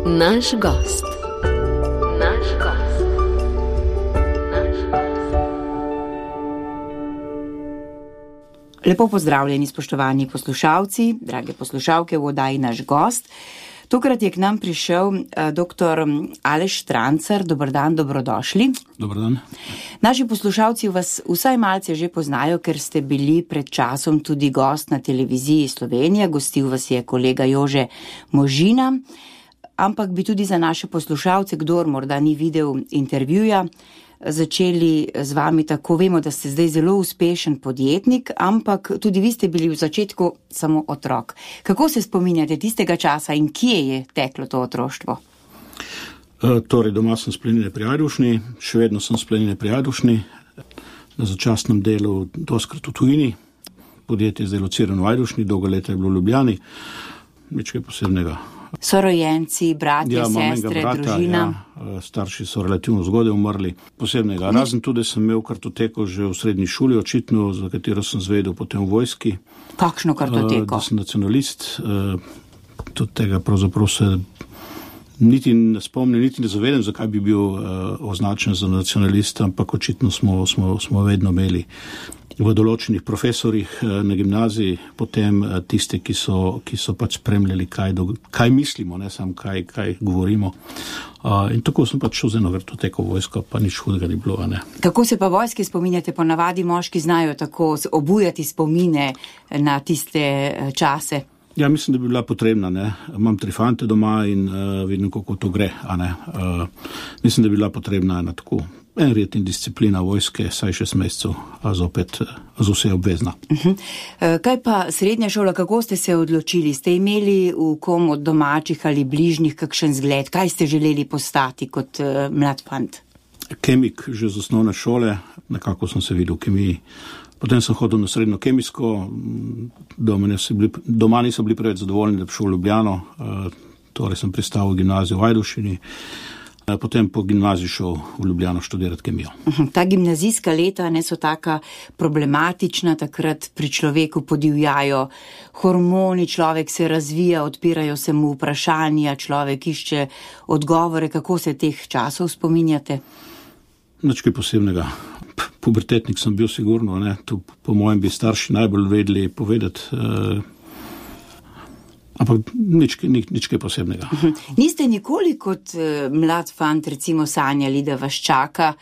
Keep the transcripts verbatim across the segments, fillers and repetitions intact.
Naš gost. Naš gost. Naš gost. Lepo pozdravljeni, spoštovani poslušalci, drage poslušalke v oddaji Naš gost. Tokrat je k nam prišel uh, doktor Aleš Štrancar. Dober dan, dobrodošli. Dober dan. Naši poslušalci vas vsaj malce že poznajo, ker ste bili pred časom tudi gost na televiziji Slovenija. Gostil vas je kolega Jože Možina. Ampak bi tudi za naše poslušalce, kdor morda ni videl intervjuja, začeli z vami tako. Vemo, da ste zdaj zelo uspešen podjetnik, ampak tudi vi ste bili v začetku samo otrok. Kako se spominjate tistega časa in kje je teklo to otroštvo? E, torej, doma sem s Planine pri Ajdovšni, še vedno sem s Planine pri Ajdovšni, na začasnem delu doskrat v tujini. Podjetje je zdaj locirano v Ajdovšni, dolgo leta je bilo v Ljubljani, nič kaj posebnega. Sorojenci, bratje, ja, sestre, brata, družina. Ja, starši so relativno zgodaj umrli. Posebnega. Razen tudi sem imel kartoteko že v srednji šoli, očitno, za katero sem zvedel potem v vojski. Kakšno kartoteko? Da sem nacionalist. Tudi tega pravzaprav se niti ne spomnim, niti ne zavedam, zakaj bi bil označen za nacionalista, ampak očitno smo, smo, smo vedno imeli v določenih profesorjih na gimnaziji, potem tiste, ki so, ki so pač spremljali, kaj, do, kaj mislimo, ne sam kaj, kaj govorimo. Uh, in tako sem pač šel z eno kartoteko v vojsko, pa nič hudega ni bilo. Ne. Kako se pa vojske spominjate? Ponavadi moški znajo tako obujati spomine na tiste čase. Ja, mislim, da bi bila potrebna. Ne. Imam tri fante doma in uh, vidim, kako to gre. A ne. Uh, mislim, da bi bila potrebna ena tako en red in disciplina vojske, saj šest mesecev, a zopet z vse obvezna. Uh-huh. Kaj pa srednja šola, kako ste se odločili? Ste imeli v kom od domačih ali bližnjih kakšen zgled? Kaj ste želeli postati kot uh, mlad fant? Kemik že z osnovne šole, nekako sem se videl v kemiji. Potem sem hodil na srednjo kemijsko, doma, bili, doma niso bili preveč zadovoljni, da bi šel v Ljubljano, uh, torej sem pristal v gimnazijo v Ajdovščini. Potem po gimnaziji šel v Ljubljano študirati kemijo. Ta gimnazijska leta ne so taka problematična, takrat pri človeku podivjajo hormoni, človek se razvija, odpirajo se mu vprašanja, človek išče odgovore. Kako se teh časov spominjate? Nič kaj posebnega. Pubertetnik sem bil sigurno, ne? To po mojem bi starši najbolj vedeli povedati. Uh, Ampak nič, nič, nič kaj posebnega. Niste nikoli kot uh, mlad fant recimo sanjali, da vas čaka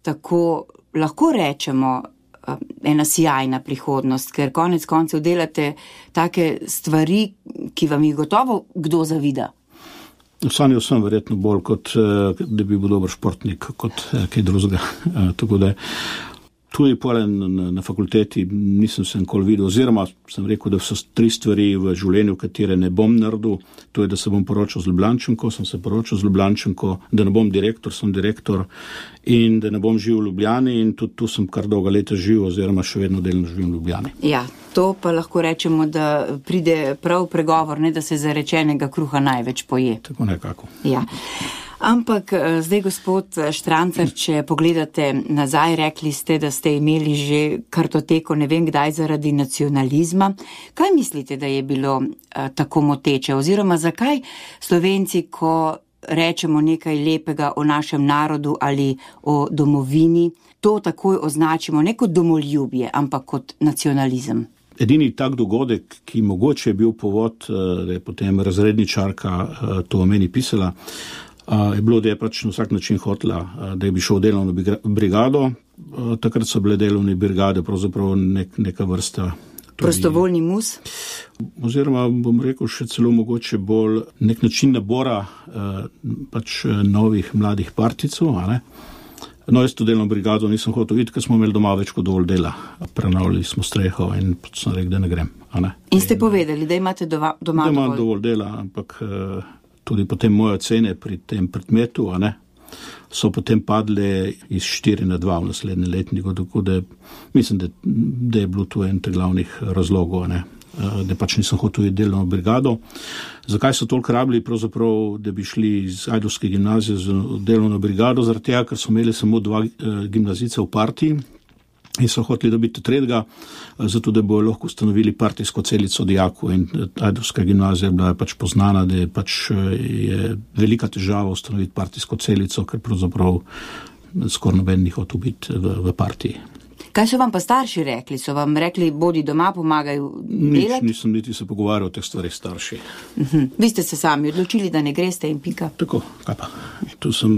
tako, lahko rečemo, uh, ena sjajna prihodnost, ker konec koncev delate take stvari, ki vam jih gotovo kdo zavida. Sanjal sem verjetno bolj, kot uh, da bi bil dober športnik, kot uh, kaj drugega. Uh, tako da tudi polen na, na fakulteti nisem se nikoli videl, oziroma sem rekel, da so tri stvari v življenju, katere ne bom naredil. To je, da se bom poročal z Ljubljančanko, sem se poročal z Ljubljančanko, da ne bom direktor, sem direktor in da ne bom živel v Ljubljani in tudi tu sem kar dolga leta živel, oziroma še vedno delno živim v Ljubljani. Ja, to pa lahko rečemo, da pride prav pregovor, ne da se zarečenega kruha največ poje. Tako nekako. Ja. Ampak zdaj, gospod Štrancar, če pogledate nazaj, rekli ste, da ste imeli že kartoteko, ne vem kdaj, zaradi nacionalizma. Kaj mislite, da je bilo a, tako moteče? Oziroma, zakaj Slovenci, ko rečemo nekaj lepega o našem narodu ali o domovini, to takoj označimo ne kot domoljubje, ampak kot nacionalizem? Edini tak dogodek, ki mogoče je bil povod, da je potem razredničarka to o meni pisala, je bilo, da je pač na vsak način hotela, da je bi šel v delovno brigado. Takrat so bile delovne brigade pravzaprav nek, neka vrsta. Tudi, prostovoljni mus? Oziroma, bom rekel, še celo mogoče bolj nek način nabora pač novih mladih partijcev, a ne? No, jaz to delovno brigado nisem hotel videti, ker smo imeli doma več kot dovolj dela. Prenavljali smo streho in sem rekel, da ne grem, a ne? In ste in, povedali, da imate doma, doma da dovolj? Da imam dovolj dela, ampak tudi potem moje ocene pri tem predmetu, a ne, so potem padle iz štiri na dva v naslednje letniku, tako da mislim, da, da je bilo to en te glavnih razlogov, a ne, da pač nisem hotel iti delovno brigado. Zakaj so toliko rabili, pravzaprav, da bi šli iz Ajdovske gimnazije z delovno brigado? Zaradi tega, ker so imeli samo dva gimnazijca v partiji in so hoteli dobiti tretjega, zato da bojo lahko ustanovili partijsko celico dijakov in Ajdovska gimnazija je bila pač poznana, da je pač je velika težava ustanoviti partijsko celico, ker pravzaprav skoraj noben ni hotel biti v, v partiji. Kaj so vam pa starši rekli? So vam rekli, bodi doma, pomagaj delati? Nič, nisem niti se pogovarjal o teh stvarih starši. Uh-huh. Vi ste se sami odločili, da ne greste in pika? Tako, kaj pa. Tu sem,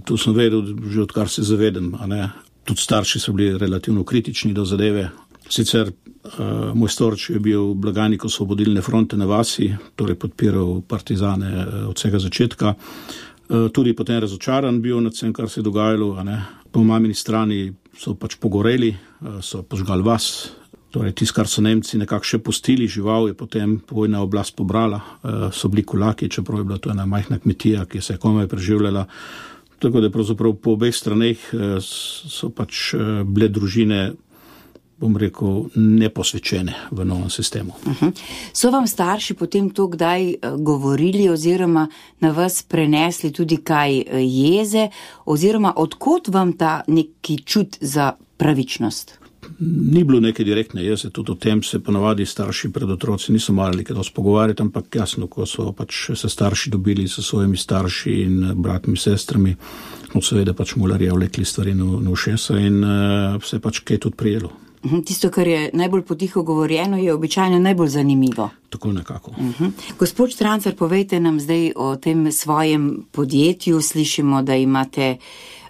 tu sem vedel, že odkar se zavedem, a ne. Tudi starši so bili relativno kritični do zadeve. Sicer uh, moj starč je bil blagajnik Osvobodilne fronte na vasi, torej podpiral partizane uh, od vsega začetka. Uh, tudi potem razočaran bil nad vsem, kar se je dogajalo, a ne. Po mamini strani so pač pogoreli, so požgali vas, torej tisto, kar so Nemci nekako še pustili, žival je potem vojna oblast pobrala, so bili kulaki, čeprav je bila to ena majhna kmetija, ki se je komaj preživljala. Tako da pravzaprav po obeh straneh so pač bile družine, bom rekel, neposvečene v novem sistemu. Uh-huh. So vam starši potem to kdaj govorili oziroma na vas prenesli tudi kaj jeze oziroma odkot vam ta neki čut za pravičnost? Ni bilo neke direktne jeze, tudi o tem se ponavadi starši pred otroci niso marali kaj dosti pogovarjati, ampak jasno, ko so pač se starši dobili s svojimi starši in bratmi, sestrami, no seveda pač mularje vlekli stvari na ušesa in uh, se pač kaj tudi prijelo. Tisto, kar je najbolj potiho govorjeno, je običajno najbolj zanimivo. Tako nekako. Uh-huh. Gospod Štrancar, povejte nam zdaj o tem svojem podjetju. Slišimo, da imate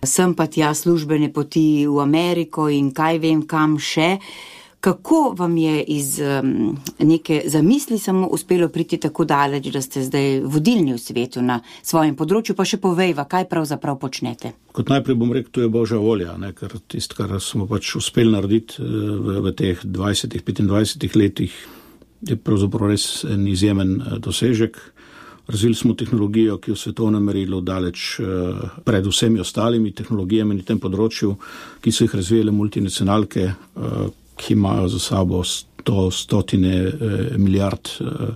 sem pa tja službene poti v Ameriko in kaj vem kam še. Kako vam je iz um, neke zamisli samo uspelo priti tako daleč, da ste zdaj vodilni v svetu na svojem področju, pa še povejva, kaj pravzaprav počnete? Kot najprej bom rekel, to je Božja volja, ne? Ker tisto, kar smo pač uspeli narediti v, v teh dvajsetih, petindvajsetih letih, je pravzaprav res en izjemen dosežek. Razvili smo tehnologijo, ki je v svetovnem merilu daleč uh, pred vsemi ostalimi tehnologijami na tem področju, ki so jih razvijale multinacionalke, uh, ki imajo za sabo sto, stotine eh, milijard eh,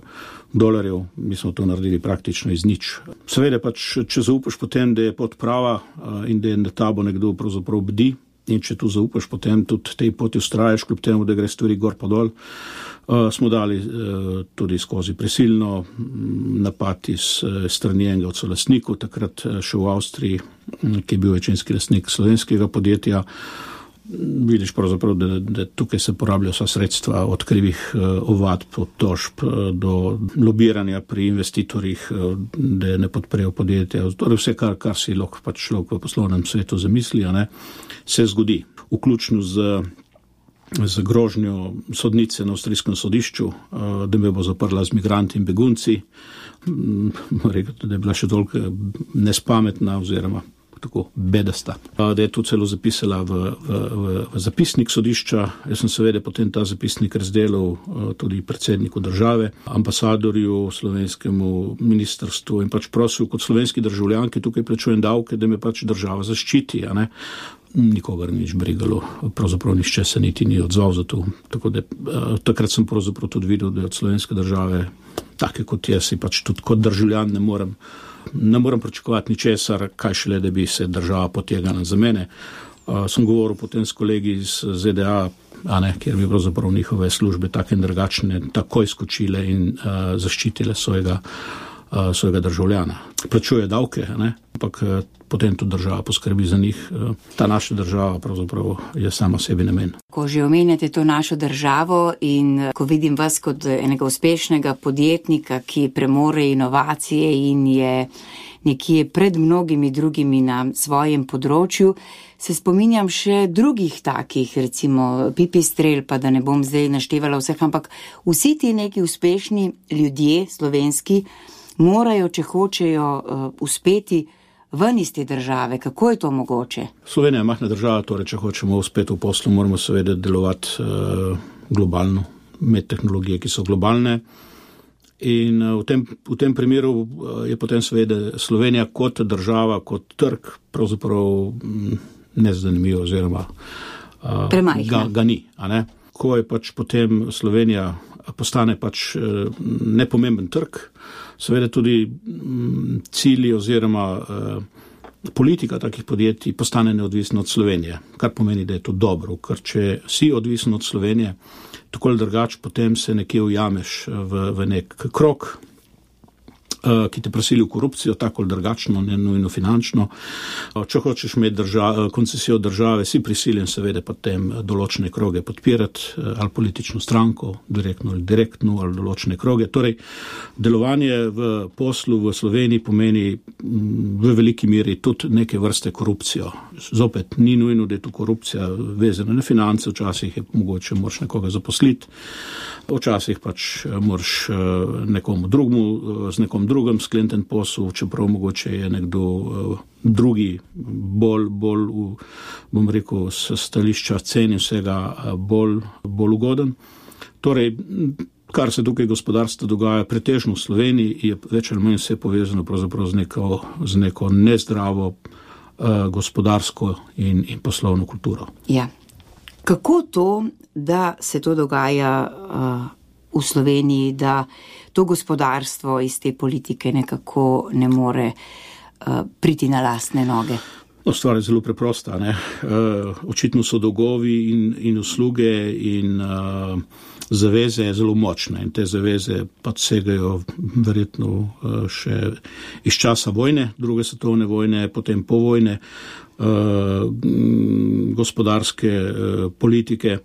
dolarjev. Mi smo to naredili praktično iz nič. Seveda pač, če zaupaš potem, da je pot prava eh, in da je na tabo nekdo pravzaprav bdi, in če tu zaupaš potem tudi tej poti ustrajaš, kljub temu, da gre stvari gor pa dol, eh, smo dali eh, tudi skozi prisilno napad iz eh, strani enega od solastnikov, takrat eh, še v Avstriji, ki je bil večinski lastnik slovenskega podjetja. Vidiš pravzaprav, da, da tukaj se porabljajo vsa sredstva od krivih uh, ovadb, od tožb uh, do lobiranja pri investitorjih, uh, da ne podprejo podjetja. Torej vse, kar, kar si lahko pač človek v poslovnem svetu zamisli, a ne, se zgodi. Vključno z, z grožnjo sodnice na avstrijskem sodišču, uh, da me bo zaprla z migranti in begunci. Um, rekel, da je bila še toliko nespametna oziroma tako bedasta, da je to celo zapisala v, v, v, v zapisnik sodišča. Jaz sem seveda potem ta zapisnik razdelil tudi predsedniku države, ambasadorju, slovenskemu ministrstvu in pač prosil kot slovenski državljan, ki tukaj plačujem davke, da me pač država zaščiti, a ne. Nikogar nič brigalo, pravzaprav nišče se niti ni odzval za to. Tako da takrat sem pravzaprav tudi videl, da je od slovenske države, take kot jaz, si pač tudi kot državljan ne morem Ne moram pričakovati ničesar, kaj šele, da bi se država potegala za mene. Uh, sem govoril potem s kolegi iz Z D A, a ne, kjer bi pravzaprav njihove službe take in drugačne takoj skočile in uh, zaščitile svojega, uh, svojega državljana. Plačuje davke, ne, ampak uh, potem tudi država poskrbi za njih. Uh, ta naša država pravzaprav je sama sebi namen. Ko že omenjate to našo državo in ko vidim vas kot enega uspešnega podjetnika, ki premore inovacije in je nekje pred mnogimi drugimi na svojem področju, se spominjam še drugih takih, recimo Pipistrel, pa da ne bom zdaj naštevala vseh, ampak vsi ti neki uspešni ljudje slovenski morajo, če hočejo uh, uspeti ven iz te države. Kako je to mogoče? Slovenija je majhna država, torej če hočemo uspeti v poslu, moramo seveda delovati uh, globalno, imeti tehnologije, ki so globalne. In uh, v, tem, v tem primeru uh, je potem seveda Slovenija kot država, kot trg, pravzaprav m, nezanimivo oziroma uh, ga, ga ni. A ne? Ko je pač potem Slovenija postane pač uh, nepomemben trg, seveda tudi m, cilji oziroma uh, politika takih podjetij postane neodvisna od Slovenije, kar pomeni, da je to dobro, ker če si odvisen od Slovenije, tako ali drugače, potem se nekje ujameš v, v nek krog, ki te prisili v korupcijo, tako ali drugačno, ne nujno finančno. Če hočeš imeti drža, koncesijo države, si prisiljen seveda potem določene kroge podpirati, ali politično stranko, direktno ali direktno, ali določene kroge. Torej, delovanje v poslu v Sloveniji pomeni v veliki meri tudi neke vrste korupcijo. Zopet, ni nujno, da je tu korupcija vezana na finance, včasih je mogoče moraš nekoga zaposliti, včasih pač moraš nekomu drugmu, z nekom drugem sklenten posel, čeprav mogoče je nekdo uh, drugi, bolj, bolj v, bom rekel, s stališča cen in vsega uh, bolj, bolj ugoden. Torej, kar se tukaj gospodarstvo dogaja pretežno v Sloveniji, je več ali manj vse povezano pravzaprav z neko, z neko nezdravo uh, gospodarsko in, in poslovno kulturo. Ja. Kako to, da se to dogaja uh, v Sloveniji, da to gospodarstvo iz te politike nekako ne more uh, priti na lastne noge? No, stvar je zelo preprosta, ne. Uh, očitno so dolgovi in, in usluge in uh, zaveze zelo močne in te zaveze pa segajo verjetno uh, še iz časa vojne, druge svetovne vojne, potem po vojne, uh, gospodarske uh, politike.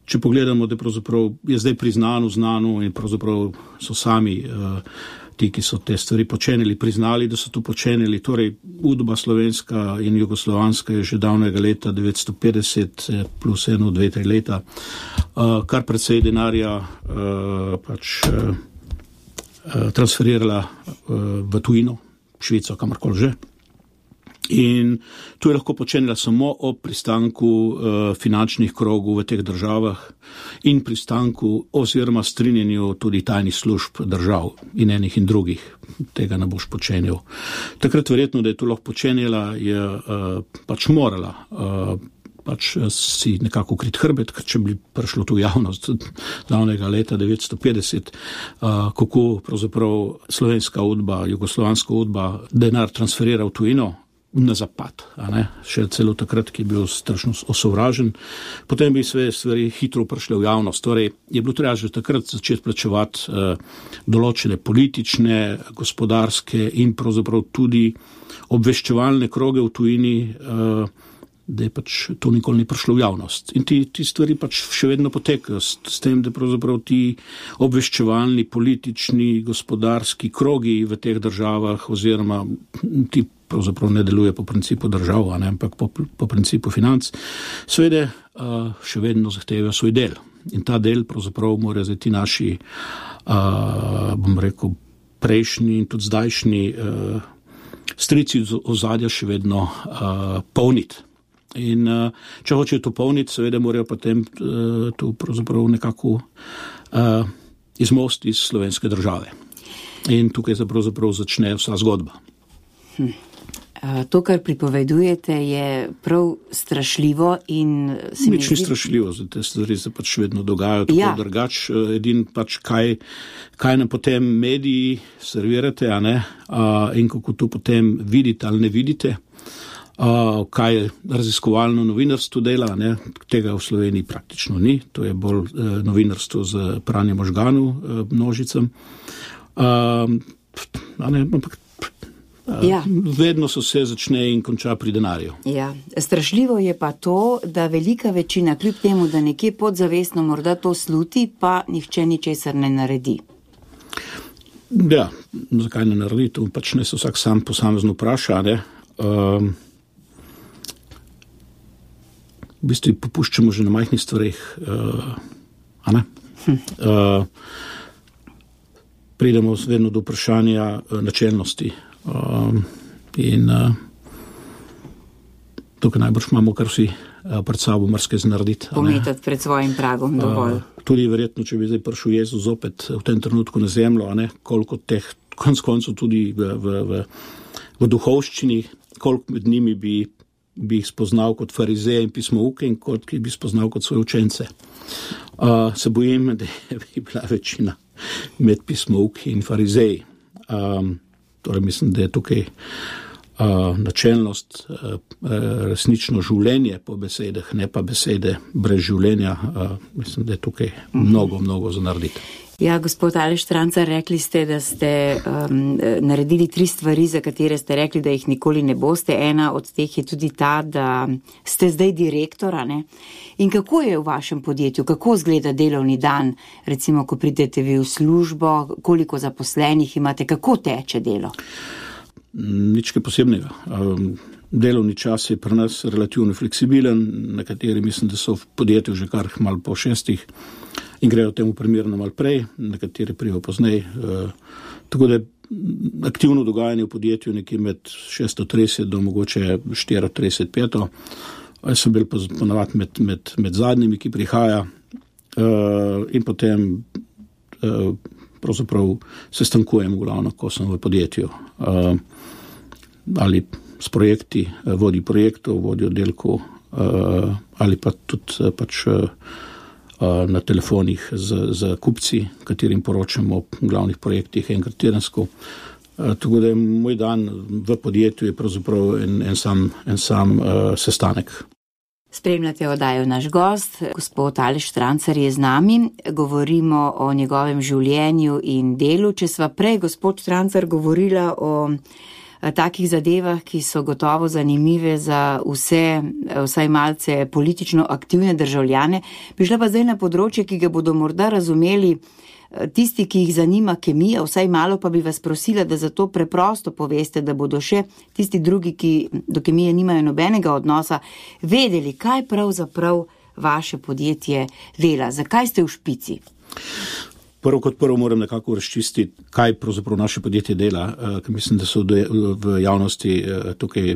Če pogledamo, da pravzaprav je zdaj priznano, znano in pravzaprav so sami uh, ti, ki so te stvari počenili, priznali, da so to počenili. Torej, udba slovenska in jugoslovanska je že davnega leta devetsto petdeset plus eno, dve, tri leta, uh, kar precej denarja uh, pač uh, transferirala uh, v tujino, Švico, kamorkoli že. In to je lahko počenila samo ob pristanku uh, finančnih krogov v teh državah in pristanku oziroma strinjenju tudi tajnih služb držav in enih in drugih. Tega ne boš počenil. Takrat verjetno, da je to lahko počenila, je uh, pač morala uh, pač si nekako krit hrbet, ker če bi prišlo tu javnost davnega leta devetsto petdeset, uh, kako pravzaprav slovenska udba, jugoslovanska udba denar transferira v tujino, na zapad, a ne, še celo takrat, ki je bil strašno osovražen, potem bi sve stvari hitro prišle v javnost. Torej, je bilo treba že takrat začeti plačevati uh, določene politične, gospodarske in pravzaprav tudi obveščevalne kroge v tujini, uh, da je pač to nikoli ni prišlo v javnost. In ti, ti stvari pač še vedno potekajo s, s tem, da pravzaprav ti obveščevalni, politični, gospodarski krogi v teh državah oziroma ti pravzaprav ne deluje po principu držav, ne, ampak po, po principu financ, seveda uh, še vedno zahtevajo svoj del. In ta del pravzaprav morajo zdaj ti naši, uh, bom rekel, prejšnji in tudi zdajšnji uh, strici ozadja še vedno uh, polniti. In uh, če hočejo to polniti, seveda morajo potem uh, to pravzaprav nekako uh, izmosti iz slovenske države. In tukaj se pravzaprav začne vsa zgodba. Hm. To, kar pripovedujete, je prav strašljivo in se mi Nič ni strašljivo, te stvari se pač vedno dogajajo, tako ja. Drugač, edin pač kaj, kaj nam potem mediji servirate, a ne, a, in kako to potem vidite ali ne vidite, a, kaj raziskovalno novinarstvo dela, ne, tega v Sloveniji praktično ni, to je bolj e, novinarstvo z pranjem možganov e, množicam, a, a ne, ampak Ja. Vedno so se začne in konča pri denarju. Ja. Strašljivo je pa to, da velika večina, kljub temu, da nekje podzavestno morda to sluti, pa nihče ničesar ne naredi. Ja, zakaj ne naredi? To pač ne se vsak sam posamezno vpraša, ne? Um, v bistvu popuščamo že na majhnih stvareh, uh, a ne? Hm. Uh, pridemo vedno do vprašanja uh, načelnosti. Um, in uh, tukaj najbrž imamo kar vsi uh, pred sabo marsikaj narediti. Pometati pred svojim pragom dovolj. Uh, tudi verjetno, če bi zdaj prišel Jezus opet v tem trenutku na zemljo, a ne, koliko teh konc koncev tudi v, v, v, v duhovščini, koliko med njimi bi, bi jih spoznal kot farizeje in pismouke in koliko bi spoznal kot svoje učence. Uh, se bojim, da bi bila večina med pismouki in farizeji. Um, Torej mislim, da je tukaj načelnost, resnično življenje po besedah, ne pa besede brez življenja. Mislim, da je tukaj mnogo, mnogo za narediti. Ja, gospod Aleš Strancar, rekli ste, da ste um, naredili tri stvari, za katere ste rekli, da jih nikoli ne boste. Ena od teh je tudi ta, da ste zdaj direktora, ne? In kako je v vašem podjetju, kako izgleda delovni dan, recimo, ko pridete vi v službo, koliko zaposlenih imate, kako teče delo? Nič kaj posebnega. Um, delovni čas je pri nas relativno fleksibilen, nekateri mislim, da so v podjetju že kar malo po šestih in grejo temu primerno malo prej, nekateri prijo poznej. Uh, tako da aktivno dogajanje v podjetju nekje med šeststo trideset do mogoče štiristo trideset peto. Jaz sem bil ponavadi med, med, med zadnjimi, ki prihaja uh, in potem uh, pravzaprav se stankujem glavno, ko sem v podjetju. Uh, ali s projekti, vodi projektov, vodi oddelkov, uh, ali pa tudi uh, pač uh, na telefonih z, z kupci, katerim poročamo o glavnih projektih enkrat tedensko. Uh, tako da moj dan v podjetju je pravzaprav en, en sam, en sam uh, sestanek. Spremljate oddajo Naš gost, gospod Aleš Strancar je z nami, govorimo o njegovem življenju in delu. Če sva prej, gospod Strancar, govorila o takih zadevah, ki so gotovo zanimive za vse, vsaj malce politično aktivne državljane, bi šla pa zdaj na področje, ki ga bodo morda razumeli tisti, ki jih zanima kemija, vsaj malo pa bi vas prosila, da zato preprosto poveste, da bodo še tisti drugi, ki do kemije nimajo nobenega odnosa, vedeli, kaj pravzaprav vaše podjetje dela, zakaj ste v špici. Prvo kot prvo moram nekako razčistiti, kaj pravzaprav naše podjetje dela, ker mislim, da so v javnosti tukaj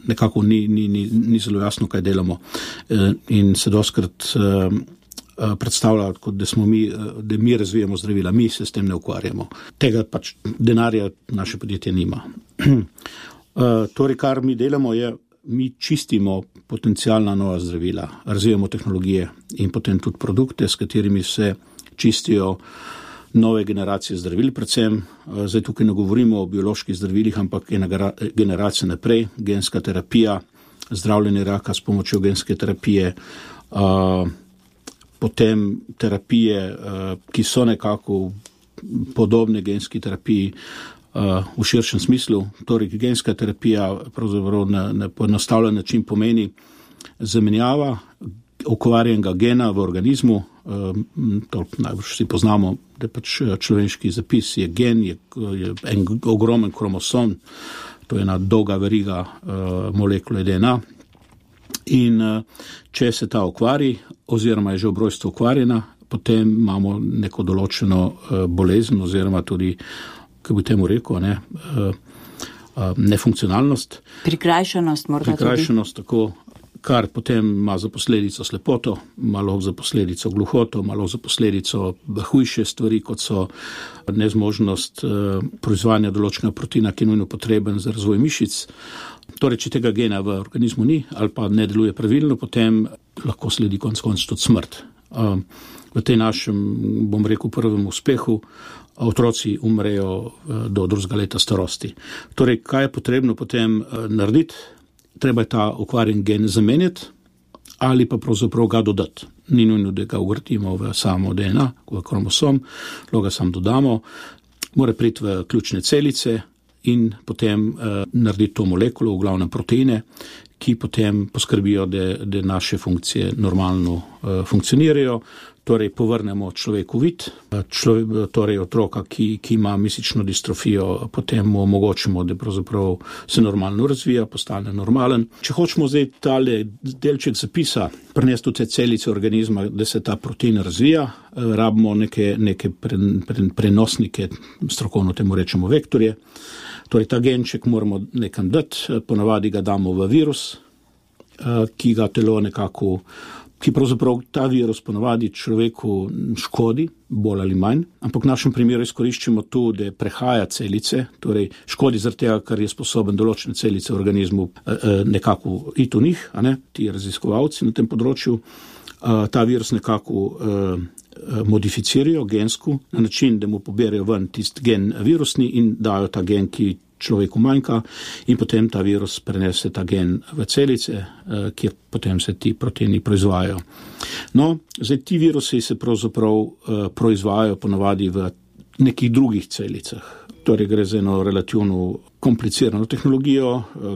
nekako ni, ni, ni, ni zelo jasno, kaj delamo. In se doskrat predstavlja, kot da smo mi, da mi razvijamo zdravila, mi se s tem ne ukvarjamo. Tega pač denarja naše podjetje nima. Torej, kar mi delamo je, mi čistimo potencialna nova zdravila, razvijamo tehnologije in potem tudi produkte, s katerimi se čistijo nove generacije zdravil, predvsem. Zdaj tukaj ne govorimo o bioloških zdravilih, ampak ena generacija naprej, genska terapija, zdravljenje raka s pomočjo genske terapije, potem terapije, ki so nekako podobne genski terapiji v širšem smislu. Torej, genska terapija pravzaprav na, na poenostavljen način pomeni zamenjava okvarjenega gena v organizmu. To najbolj vsi poznamo, da pač človeški zapis je gen, je, je en ogromen kromosom, to je ena dolga veriga uh, molekule D N A. In uh, če se ta okvari, oziroma je že ob rojstvu okvarjena, potem imamo neko določeno uh, bolezen, oziroma tudi, kako bi temu rekel, ne, uh, uh, nefunkcionalnost. Prikrajšanost morda Prikrajšanost, tudi. Tako, kar potem ima za posledico slepoto, malo za posledico gluhoto, malo za posledico hujše stvari, kot so nezmožnost uh, proizvajanja določenega proteina, ki je nujno potreben za razvoj mišic. Torej, če tega gena v organizmu ni ali pa ne deluje pravilno, potem lahko sledi konec koncev tudi smrt. Uh, v tej našem, bom rekel, prvem uspehu otroci umrejo uh, do drugega leta starosti. Torej, kaj je potrebno potem uh, narediti? Treba je ta okvarjen gen zamenjati ali pa pravzaprav ga dodati. Ni nujno, da ga uvrtimo v samo D N A, v kromosom, lahko ga sam dodamo, mora priti v ključne celice in potem uh, narediti to molekulo, v glavnem proteine, ki potem poskrbijo, da, da naše funkcije normalno uh, funkcionirajo. Torej, povrnemo človeku vid, človek, torej otroka, ki, ki ima mišično distrofijo, potem mu omogočimo, da pravzaprav se normalno razvija, postane normalen. Če hočemo zdaj tale delček zapisa prenesti v te celice organizma, da se ta protein razvija, rabimo neke, neke pre, pre, prenosnike, strokovno temu rečemo vektorje. Torej, ta genček moramo nekam dati, ponavadi ga damo v virus, ki ga telo nekako ki pravzaprav ta virus ponavadi človeku škodi, bolj ali manj, ampak v našem primeru izkoriščamo tu, da prehaja celice, torej škodi zaradi tega, ker je sposoben določene celice v organizmu nekako iti v njih, a ne, ti raziskovalci na tem področju, ta virus nekako modificirajo gensko na način, da mu poberajo ven tisti gen virusni in dajo ta gen, ki človeku manjka in potem ta virus prenese ta gen v celice, kjer potem se ti proteini proizvajajo. No, zdaj ti virusi se pravzaprav proizvajajo ponavadi v nekih drugih celicah. Torej gre za eno relativno komplicirano tehnologijo,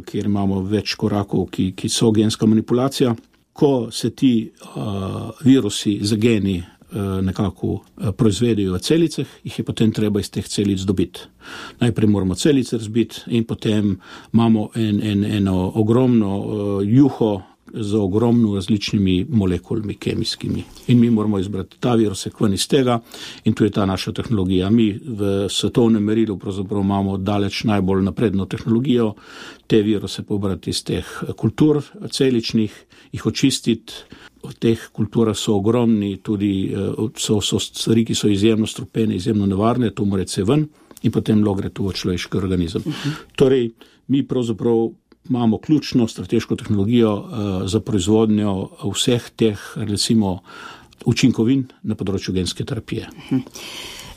kjer imamo več korakov, ki, ki so genska manipulacija. Ko se ti uh, virusi z geni uh, nekako uh, proizvedejo v celicah, jih je potem treba iz teh celic dobiti. Najprej moramo celice razbiti in potem imamo en, en, eno ogromno uh, juho z ogromno različnimi molekulami kemijskimi. In mi moramo izbrati ta virus ven iz tega in tu je ta naša tehnologija. Mi v svetovnem merilu pravzaprav imamo daleč najbolj napredno tehnologijo, te viruse pobrati iz teh kultur celičnih, jih očistiti. V teh kulturah so ogromni, tudi so, so stvari, ki so izjemno strupene, izjemno nevarne, to mora se ven in potem lo gre to v človeški organizem. Uh-huh. Torej, mi pravzaprav imamo ključno strateško tehnologijo uh, za proizvodnjo vseh teh, recimo, učinkovin na področju genske terapije.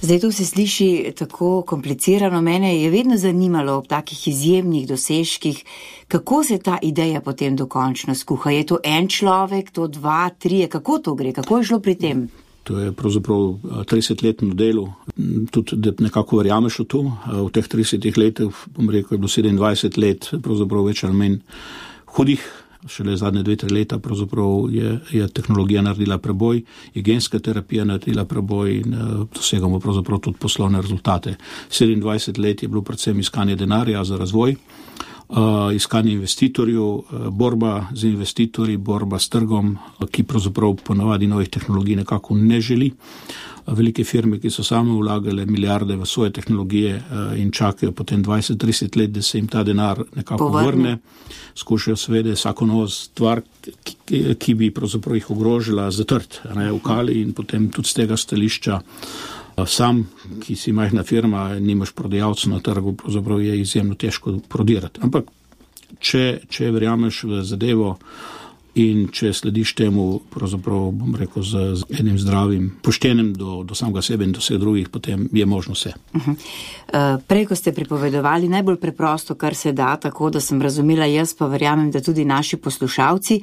Zdaj to se sliši tako komplicirano. Mene je vedno zanimalo ob takih izjemnih dosežkih, kako se ta ideja potem dokončno skuha. Je to en človek, to dva, trije, kako to gre, kako je šlo pri tem? To je pravzaprav tridesetletno delo, tudi da nekako verjameš v to. V teh tridesetih letih, bom rekel, je bilo sedemindvajset let, pravzaprav več ali manj hudih, šele zadnje dve, tri leta pravzaprav je, je tehnologija naredila preboj, je genska terapija naredila preboj in dosegamo pravzaprav tudi poslovne rezultate. sedemindvajset let je bilo predvsem iskanje denarja za razvoj, Uh, iskanje investitorjev, uh, borba z investitorji, borba s trgom, uh, ki pravzaprav ponavadi novih tehnologij nekako ne želi. Uh, velike firme, ki so same vlagale milijarde v svoje tehnologije uh, in čakajo potem dvajset trideset let, da se jim ta denar nekako vrne, skušajo seveda vsako novo stvar, ki, ki bi pravzaprav jih ogrožila, zatrt, ne, v kali in potem tudi z tega stališča sam, ki si majhna firma, nimaš prodajalca na trgu, pravzaprav je izjemno težko prodirati. Ampak, če, če verjameš v zadevo in če slediš temu, pravzaprav, bom rekel, z, z enim zdravim, poštenim do, do samega sebe in do vseh drugih, potem je možno vse. Uh-huh. Uh, prej, ko ste pripovedovali, najbolj preprosto, kar se da, tako da sem razumela jaz, pa verjamem, da tudi naši poslušalci,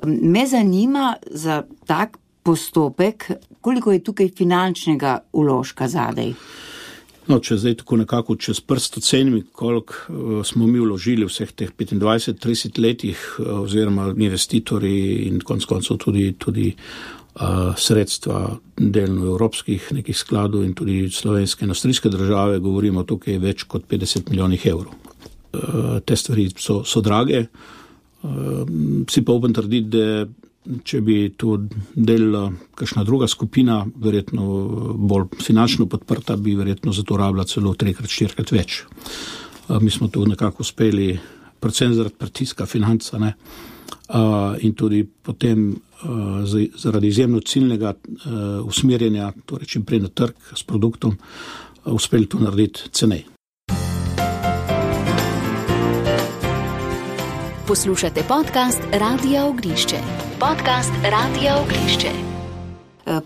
me zanima za tak postopek, koliko je tukaj finančnega vložka zadej? No, če zdaj tako nekako čez prst ocenim, koliko uh, smo mi vložili vseh teh petindvajset trideset letih, uh, oziroma investitorji in konec koncev tudi, tudi uh, sredstva delno evropskih nekih skladov in tudi slovenske in avstrijske države, govorimo tukaj več kot petdeset milijonih evrov. Uh, te stvari so, so drage. Uh, si pa upam trditi, da če bi to delala kakšna druga skupina, verjetno bolj finančno podprta, bi verjetno za to rabila celo trikrat, štirikrat več. Mi smo to nekako uspeli, predvsem zaradi pritiska financa, ne, in tudi potem zaradi izjemno ciljnega usmerjanja, torej čim prej na trg s produktom, uspeli to narediti cenej. Poslušate podcast Radia Ognišče. Podcast Radia Ognišče.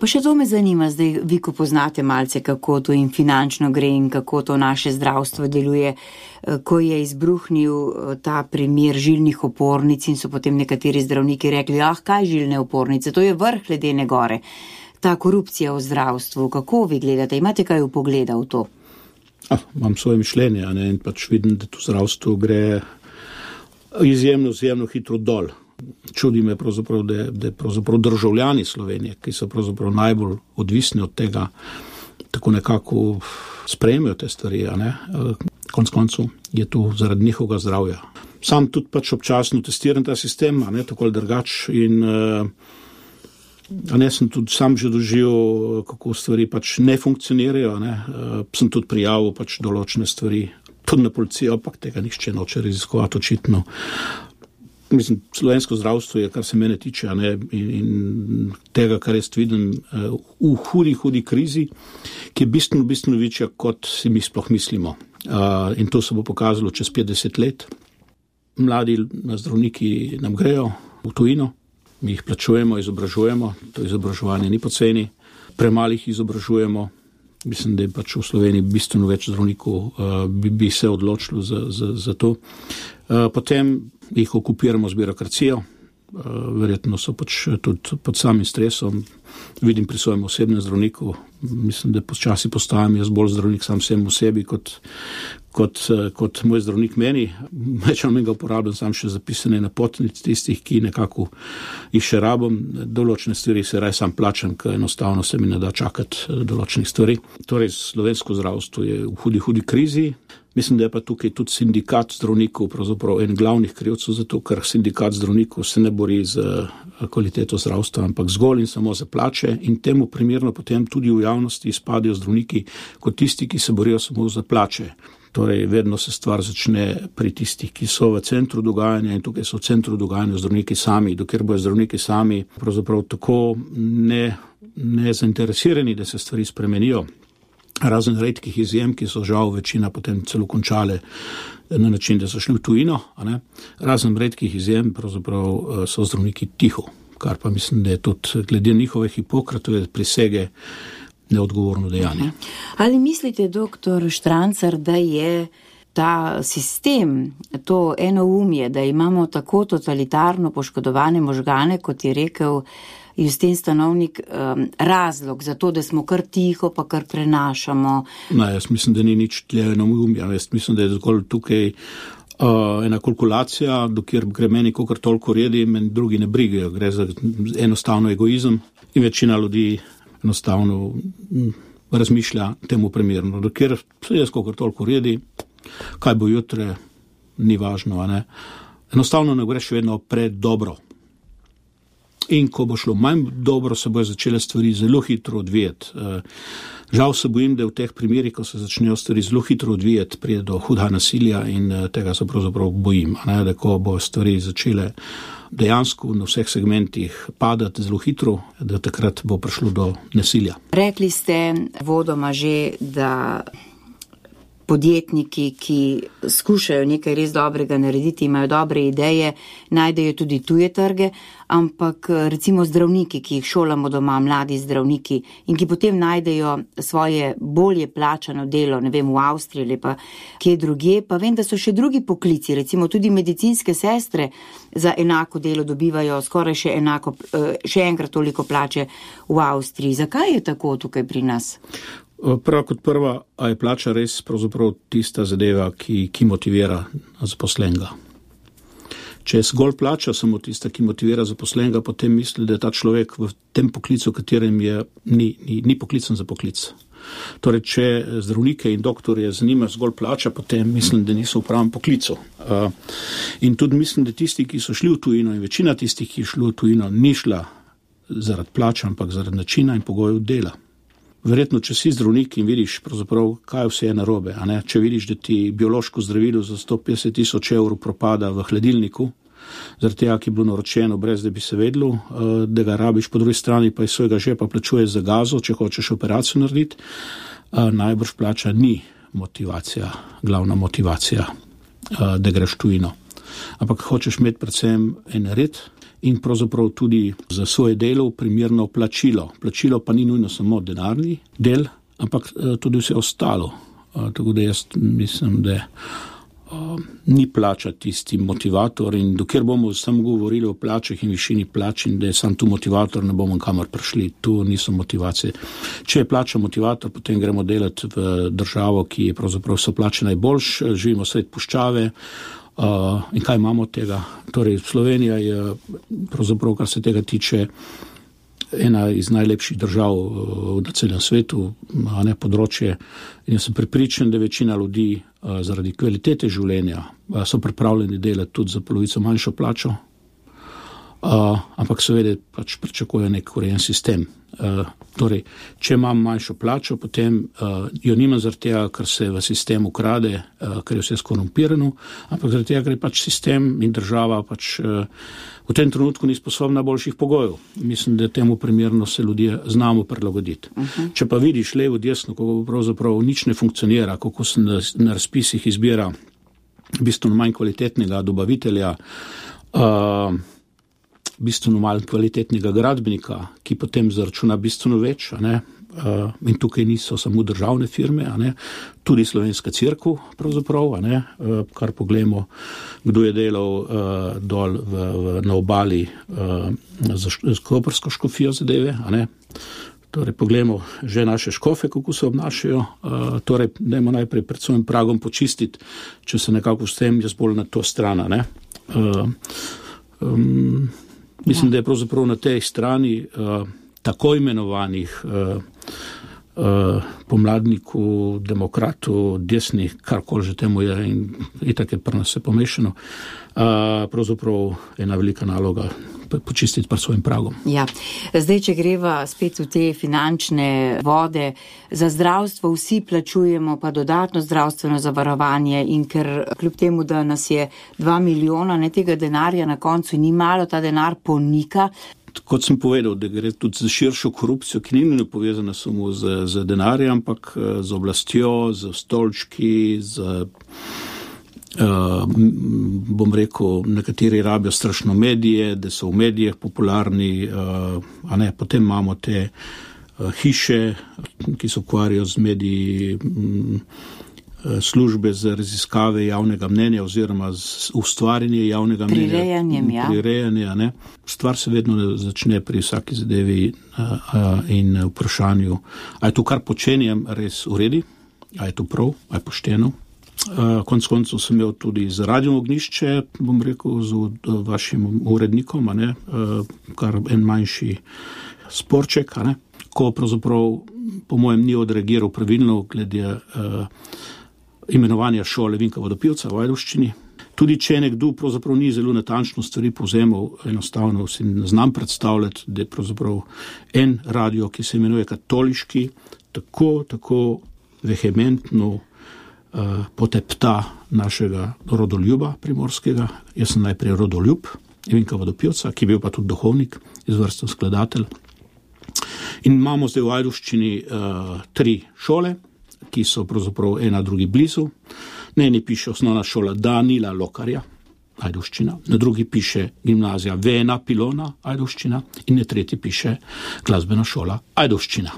Pa še to me zanima, zdaj vi, ko poznate malce, kako to in finančno gre in kako to naše zdravstvo deluje, ko je izbruhnil ta primer žilnih opornic in so potem nekateri zdravniki rekli, ah, kaj žilne opornice, to je vrh ledene gore. Ta korupcija v zdravstvu, kako vi gledate, imate kaj vpogleda v to? Ah, imam svoje mišljenje, a ne, in pač vidim, da to zdravstvo gre izjemno, izjemno hitro dol. Čudi me pravzaprav, da, da pravzaprav državljani Slovenije, ki so pravzaprav najbolj odvisni od tega, tako nekako sprejmejo te stvari, a ne. Konec koncev je to zaradi njihovega zdravja. Sam tudi pač občasno testiram ta sistem, a ne, tako ali drugač in a ne, sem tudi sam že doživel, kako stvari pač ne funkcionirajo, a ne. Sem tudi prijavil pač določene stvari tudi na policijo, ampak tega nihče noče raziskovati očitno. Mislim, slovensko zdravstvo je, kar se mene tiče, a ne, in, in tega, kar jaz vidim v hudi, hudi krizi, ki je bistveno, bistveno večja, kot si mi sploh mislimo. Uh, in to se bo pokazalo čez petdeset let. Mladi zdravniki nam grejo v tujino, mi jih plačujemo, izobražujemo, to izobraževanje ni poceni, premalih izobražujemo, Mislim, da je pač v Sloveniji bistveno več zdravnikov, bi, bi se odločilo za, za, za to. Potem jih okupiramo z birokracijo, verjetno so pač tudi pod samim stresom. Vidim pri svojem osebnem zdravniku, mislim, da počasi postajam jaz bolj zdravnik sam vsem v sebi, kot, kot, kot moj zdravnik meni. Večino mi ga uporabljam sam še zapisane napotnic tistih, ki nekako jih še rabim. Določene stvari se raj sam plačam, ker enostavno se mi ne da čakati določenih stvari. Torej, slovensko zdravstvo je v hudi, hudi krizi. Mislim, da je pa tukaj tudi sindikat zdravnikov pravzaprav en glavnih krivcev za to, ker sindikat zdravnikov se ne bori za kvaliteto zdravstva, ampak zgolj in samo za plače in temu primerno potem tudi v javnosti izpadajo zdravniki kot tisti, ki se borijo samo za plače. Torej, vedno se stvar začne pri tistih, ki so v centru dogajanja in tukaj so v centru dogajanja zdravniki sami, dokler bojo zdravniki sami pravzaprav tako ne, ne zainteresirani, da se stvari spremenijo. Razen redkih izjem, ki so žal večina potem celo končale na način, da so šli v tujino. A ne? Razen redkih izjem pravzaprav so zdravniki tiho, kar pa mislim, da je tudi glede njihove Hipokratove prisege neodgovorno dejanje. Ali mislite, doktor Štrancar, da je ta sistem, to enoumje, da imamo tako totalitarno poškodovane možgane, kot je rekel Justin Stanovnik, um, razlog za to, da smo kar tiho, pa kar prenašamo? No, jaz mislim, da ni nič tle enoumja. Jaz mislim, da je zgolj tukaj uh, ena kalkulacija, dokjer gre meni kakor toliko redi, meni drugi ne brigajo. Gre za enostavno egoizem in večina ljudi enostavno m, razmišlja temu primerno. Dokjer se jaz kakor toliko redi, kaj bo jutre, ni važno, a ne. Enostavno ne greš vedno pred dobro. In ko bo šlo manj dobro, se bojo začele stvari zelo hitro odvijati. Žal se bojim, da v teh primerih, ko se začnejo stvari zelo hitro odvijati, pride do hudega nasilja in tega se pravzaprav bojim. Ne? Da ko bo stvari začele dejansko na vseh segmentih padati zelo hitro, da takrat bo prišlo do nasilja. Rekli ste vodoma že, da podjetniki, ki skušajo nekaj res dobrega narediti, imajo dobre ideje, najdejo tudi tuje trge, ampak recimo zdravniki, ki jih šolamo doma, mladi zdravniki in ki potem najdejo svoje bolje plačano delo, ne vem, v Avstriji ali pa kje drugje, pa vem, da so še drugi poklici, recimo tudi medicinske sestre za enako delo dobivajo skoraj še enako, še enkrat toliko plače v Avstriji. Zakaj je tako tukaj pri nas? Prva kot prva, a je plača res pravzaprav tista zadeva, ki, ki motivira zaposlenega. Če je zgolj plača samo tista, ki motivira zaposlenega, potem misli, da je ta človek v tem poklicu, katerem je, ni, ni, ni poklican za poklic. Torej, če zdravnike in doktorje zanima zgolj plača, potem mislim, da niso v pravem poklicu. In tudi mislim, da tisti, ki so šli v tujino in večina tistih, ki je šli v tujino, ni šla zaradi plača, ampak zaradi načina in pogojev dela. Verjetno, če si zdravnik in vidiš pravzaprav, kaj vse je narobe, a ne? Če vidiš, da ti biološko zdravilo za sto petdeset tisoč evrov propada v hladilniku, zaradi tega, ki je bilo naročeno, brez da bi se vedlo, da ga rabiš, po drugi strani pa iz svojega žepa plačuješ za gazo, če hočeš operacijo narediti, najbrž plača ni motivacija, glavna motivacija, da greš v tujino. Ampak hočeš imeti predvsem en red, in pravzaprav tudi za svoje delo primerno plačilo. Plačilo pa ni nujno samo denarni del, ampak tudi vse ostalo. Tako da jaz mislim, da ni plača tisti motivator in dokler bomo samo govorili o plačah in višini plač in da je sam tu motivator, ne bomo kamor prišli. Tu niso motivacije. Če je plača motivator, potem gremo delati v državo, ki je pravzaprav so plače najboljš, živimo sred puščave. Uh, in kaj imamo od tega? Torej, Slovenija je pravzaprav, kar se tega tiče, ena iz najlepših držav uh, na celem svetu, a ne področje. In jaz sem prepričan, da večina ljudi uh, zaradi kvalitete življenja uh, so pripravljeni delati tudi za polovico manjšo plačo, uh, ampak seveda pač pričakujejo nek urejen sistem. Uh, torej, če imam manjšo plačo, potem uh, jo nimam zaradi tega, ker se v sistemu krade, uh, ker je vse skorumpirano, ampak zaradi tega, ker je pač sistem in država pač uh, v tem trenutku ni sposobna boljših pogojev. Mislim, da temu primerno se ljudje znamo prilagoditi. Uh-huh. Če pa vidiš levo, desno, kako pravzaprav nič ne funkcionira, kako se na, na razpisih izbira bistveno manj kvalitetnega dobavitelja, uh, bistveno manj kvalitetnega gradbenika, ki potem zaračuna bistveno več, a ne? Uh, in tukaj niso samo državne firme, a ne, tudi Slovenska cerkev, pravzaprav, a ne, uh, kar pogledamo, kdo je delal uh, dol v, v, na obali uh, za, za koprsko škofijo zadeve, a ne. Torej, pogledamo že naše škofe, kako se obnašajo, uh, torej, dajmo najprej pred svojim pragom počistiti, če se nekako s tem jaz bolj na to stran, a ne. Uh, um, mislim, ja. Da je pravzaprav na tej strani uh, tako imenovanih uh, uh, pomladnikov, demokratov, desnih, karkoli že temu je in itak je pri nas vse pomešano, uh, pravzaprav ena velika naloga počistiti pred svojim pragom. Ja, zdaj, če greva spet v te finančne vode, za zdravstvo vsi plačujemo pa dodatno zdravstveno zavarovanje in ker kljub temu, da nas je dva milijona, ne tega denarja na koncu ni malo, ta denar ponika. Kot sem povedal, da gre tudi za širšo korupcijo, ki ni povezana samo z, z denarjem, ampak z oblastjo, z stolčki, z, uh, bom rekel, nekateri rabijo strašno medije, da so v medijih popularni, uh, a ne, potem imamo te uh, hiše, ki se ukvarjajo z mediji, um, službe za raziskave javnega mnenja oziroma z ustvarjanje javnega mnenja. Prirejanjem, ja. Prirejanje, ne. Stvar se vedno začne pri vsaki zadevi a, a, in vprašanju, a je to, kar počenjem, res v redu, a je to prav, a je pošteno. A, konec koncev sem imel tudi z Radio Ognjišče, bom rekel, z vašim urednikom, a ne, a, kar en manjši sporček, a ne, ko pravzaprav po mojem ni odreagiral pravilno glede a, imenovanja šole Vinka Vodopivca v Ajdovščini. Tudi če nekdo pravzaprav ni zelo natančno stvari povzemal, enostavno si ne znam predstavljati, da je pravzaprav en radio, ki se imenuje Katoliški, tako, tako vehementno uh, potepta našega rodoljuba primorskega. Jaz sem najprej rodoljub Vinka Vodopivca, ki je bil pa tudi duhovnik, izvrsten skladatelj. In imamo zdaj v Ajdovščini uh, tri šole, ki so pravzaprav ena drugi blizu. Na eni piše osnovna šola Danila Lokarja, Ajdovščina, na drugi piše gimnazija Vena Pilona, Ajdovščina in na tretji piše glasbena šola Ajdovščina.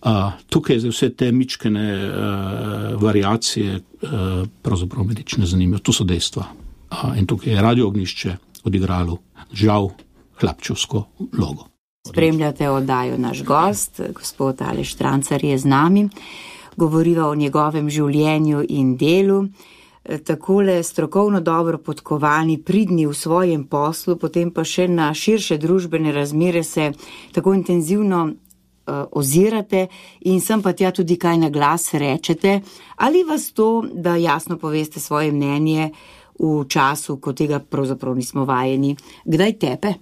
Uh, tukaj za vse te mičkene uh, variacije uh, pravzaprav me nič ne zanimajo. To so dejstva. Uh, in tukaj je Radio Ognjišče odigralo žal hlapčevsko vlogo. Spremljate oddajo Naš gost, gospod Aleš Štrancar je z nami. Govoriva o njegovem življenju in delu. Takole strokovno dobro podkovani, pridni v svojem poslu, potem pa še na širše družbene razmere se tako intenzivno uh, ozirate in sem pa tja tudi kaj na glas rečete. Ali vas to, da jasno poveste svoje mnenje v času, ko tega pravzaprav nismo vajeni, kdaj tepe?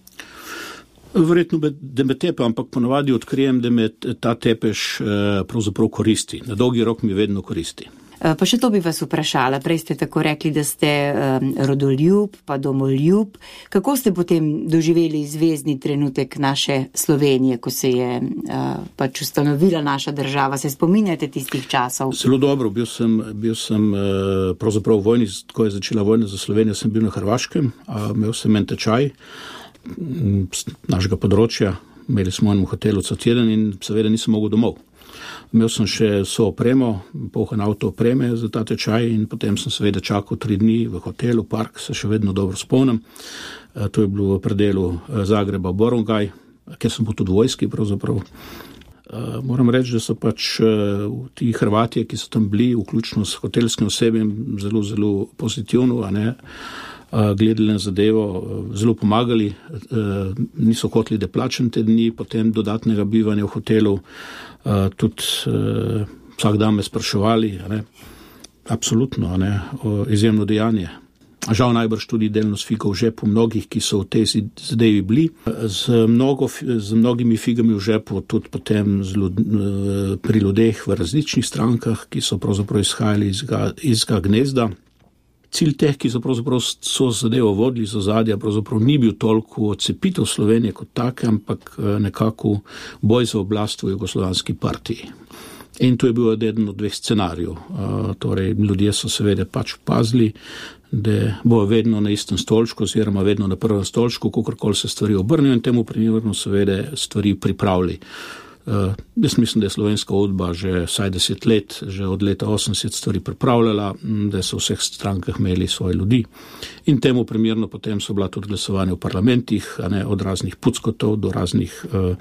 Verjetno, da me tepe, ampak ponavadi odkrijem, da me ta tepež pravzaprav koristi. Na dolgi rok mi vedno koristi. Pa še to bi vas vprašala. Prej ste tako rekli, da ste um, rodoljub, pa domoljub. Kako ste potem doživeli zvezdni trenutek naše Slovenije, ko se je uh, pač ustanovila naša država? Se spominjate tistih časov? Zelo dobro. Bil sem, bil sem uh, pravzaprav v vojni, ko je začela vojna za Slovenijo, sem bil na Hrvaškem, uh, imel sem en tečaj našega področja, imeli smo v hotelu cel teden in seveda nisem mogel domov. Imel sem še vso opremo, polhan avto opreme za ta tečaj in potem sem seveda čakal tri dni v hotelu, park, se še vedno dobro spomnim. To je bilo v predelu Zagreba Borongaj, kjer sem bil tudi v vojski pravzaprav. Moram reči, da so pač ti Hrvatije, ki so tam bili, vključno s hotelskim osebjem, zelo, zelo pozitivno, a ne, gledali na zadevo, zelo pomagali, niso hoteli, da plačam te dni, potem dodatnega bivanja v hotelu, tudi vsak dan me spraševali, a ne, absolutno, a ne, izjemno dejanje. Žal najbrž tudi delno s figo v žepu mnogih, ki so v tej zadevi bili, z, mnogo, z mnogimi figami v žepu tudi potem zelo, pri ljudeh v različnih strankah, ki so pravzaprav izhajali iz ga, iz ga gnezda. Cilj teh, ki so pravzaprav so zadevo vodili z ozadja, pravzaprav ni bil toliko odcepitev Slovenije kot take, ampak nekako boj za oblast v jugoslovanski partiji. In to je bil eden od dveh scenarijev. Uh, torej, ljudje so seveda pač opazili, da bo vedno na istem stolčku, oziroma vedno na prvem stolčku, kakorkoli se stvari obrnijo in temu primerno seveda stvari pripravili. Uh, jaz mislim, da je slovenska udba že vsaj deset let, že od leta osemdeset stvari pripravljala, da so v vseh strankah imeli svoje ljudi. In temu primerno potem so bila tudi glasovanja v parlamentih, a ne, od raznih puckotov do raznih uh,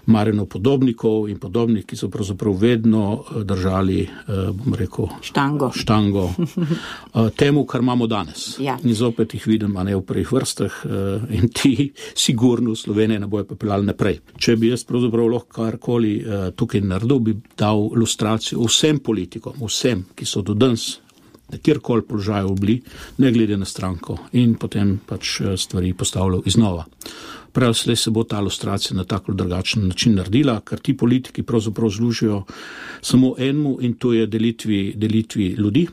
Marjanov podobnikov in podobnih, ki so pravzaprav vedno držali, uh, bom rekel, štango, štango uh, temu, kar imamo danes. Ja. In zopet jih vidim, a ne, v prvih vrstah uh, in ti sigurno v Sloveniji ne bojo pepeljali naprej. Če bi jaz pravzaprav lahko karkoli uh, tukaj naredil, bi dal ilustracijo vsem politikom, vsem, ki so do danes na kjerkoli položaju bili, ne glede na stranko, in potem pač stvari postavljal iznova. Prav slej se bo ta ilustracija na tako drugačen način naredila, ker ti politiki pravzaprav služijo samo enemu, in to je delitvi, delitvi ljudi,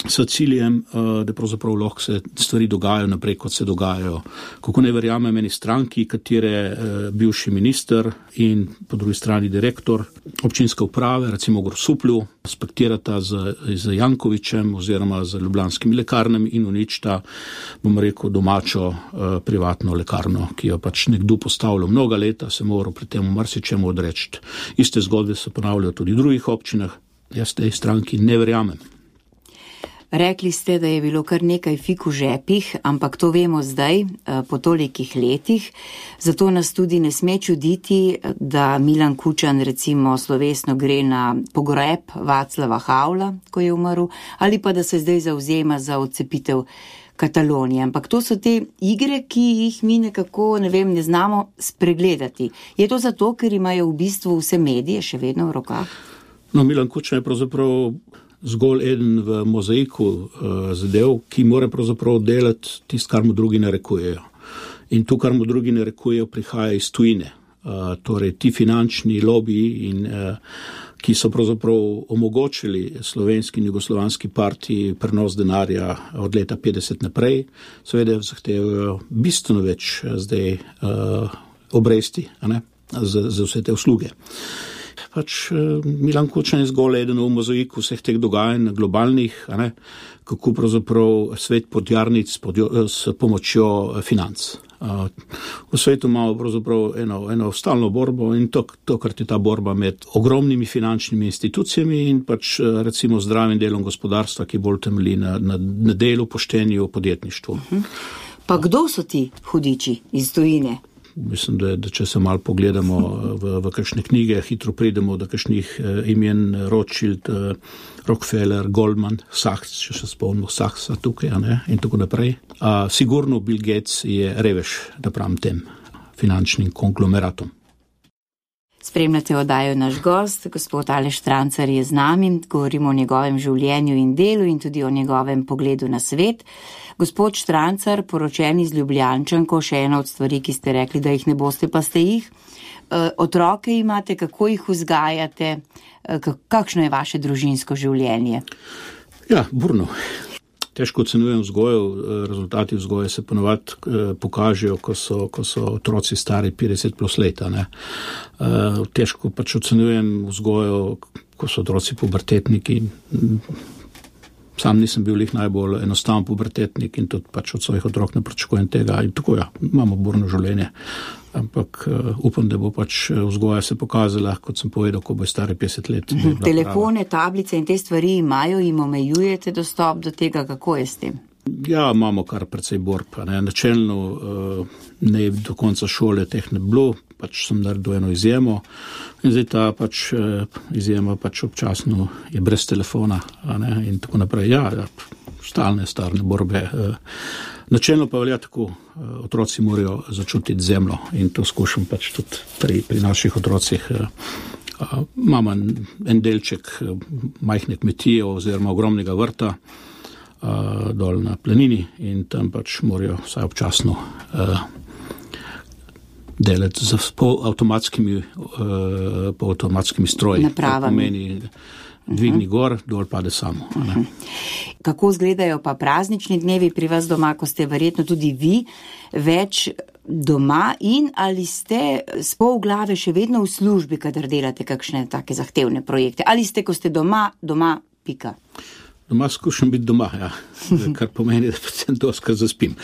s ciljem, da pravzaprav lahko se stvari dogajajo naprej, kot se dogajajo. Kako ne verjamem eni stranki, katere bivši minister in po drugi strani direktor občinske uprave, recimo v Grosuplju, spektirata z, z Jankovićem oziroma z ljubljanskimi lekarnami in uničita, bom rekel, domačo privatno lekarno, ki jo pač nekdo postavlja mnoga leta, se moral pri tem marsičemu odreči. Iste zgodbe se ponavljajo tudi v drugih občinah. Jaz tej stranki ne verjamem. Rekli ste, da je bilo kar nekaj fig v žepih, ampak to vemo zdaj, po tolikih letih. Zato nas tudi ne sme čuditi, da Milan Kučan recimo slovesno gre na pogreb Václava Havla, ko je umrl, ali pa da se zdaj zavzema za odcepitev Katalonije. Ampak to so te igre, ki jih mi nekako, ne vem, ne znamo spregledati. Je to zato, ker imajo v bistvu vse medije še vedno v rokah? No, Milan Kučan je pravzaprav zgolj eden v mozaiku uh, zadev, ki mora pravzaprav delati tisto, kar mu drugi narekujejo. In to, kar mu drugi narekujejo, prihaja iz tujine. Uh, torej, ti finančni lobiji, in, uh, ki so pravzaprav omogočili slovenski in jugoslovanski partiji prenos denarja od leta petdeset naprej, seveda zahtevajo bistveno več zdaj uh, obresti, a ne, za, za vse te usluge. Pač Milan Kučan je zgolj eden v mozaiku vseh teh dogajanj globalnih, a ne, kako pravzaprav svet podjarnic pod, s pomočjo financ. V svetu imamo pravzaprav eno, eno stalno borbo, in to, to, kar je ta borba med ogromnimi finančnimi institucijami in pač recimo zdravim delom gospodarstva, ki bolj temelji na, na, na delu, poštenju, podjetništvu. Pa kdo so ti hudiči iz tujine? Mislim, da, da če se malo pogledamo v, v kakšne knjige, hitro pridemo do kakšnih eh, imen, Rothschild, eh, Rockefeller, Goldman, Sachs, če se spomnimo Sachsa tukaj, a ne, in tako naprej. A, sigurno Bill Gates je revež napram tem finančnim konglomeratom. Spremljate oddajo Naš gost, gospod Aleš Štrancar je z nami, govorimo o njegovem življenju in delu in tudi o njegovem pogledu na svet. Gospod Štrancar, poročeni z Ljubljančanko, še ena od stvari, ki ste rekli, da jih ne boste, pa ste jih. E, otroke imate, kako jih vzgajate, e, kakšno je vaše družinsko življenje? Ja, burno. Težko ocenujem vzgojo, rezultati vzgoje se ponovadi pokažejo, ko so, ko so otroci stari petdeset plus leta. Ne. Težko pač ocenujem vzgojo, ko so otroci pubertetniki. Sam nisem bil jih najbolj enostaven pubertetnik in tudi pač od svojih otrok ne pričakujem tega. In tako ja, imamo burno življenje. Ampak uh, upam, da bo pač vzgoja se pokazala, kot sem povedal, ko bo stari petdeset let. Mhm. Telefone, prava. Tablice in te stvari imajo, jim omejujete dostop do tega, kako je s tem? Ja, imamo kar precej borb. Ne. Načelno uh, ne do konca šole teh ne bilo, pač sem naredil eno izjemo in zdaj ta pač uh, izjema pač občasno je brez telefona, a ne, in tako naprej. Ja, ja, stalne, starne borbe. Uh, Načelno pa velja tako, otroci morajo začutiti zemljo in to skušam pač tudi pri, pri naših otrocih. Imamo en delček majhne kmetije oziroma ogromnega vrta dol na planini in tam pač morajo vsaj občasno delati z avtomatskimi, avtomatskimi stroji. Napravami. Dvigni gor, dol pade samo. Ne? Kako izgledajo pa praznični dnevi pri vas doma, ko ste verjetno tudi vi več doma in ali ste s pol glave še vedno v službi, kadar delate kakšne take zahtevne projekte? Ali ste, ko ste doma, doma, pika? Doma skušam biti doma, ja. Kar pomeni, da predvsem doskrat zaspim.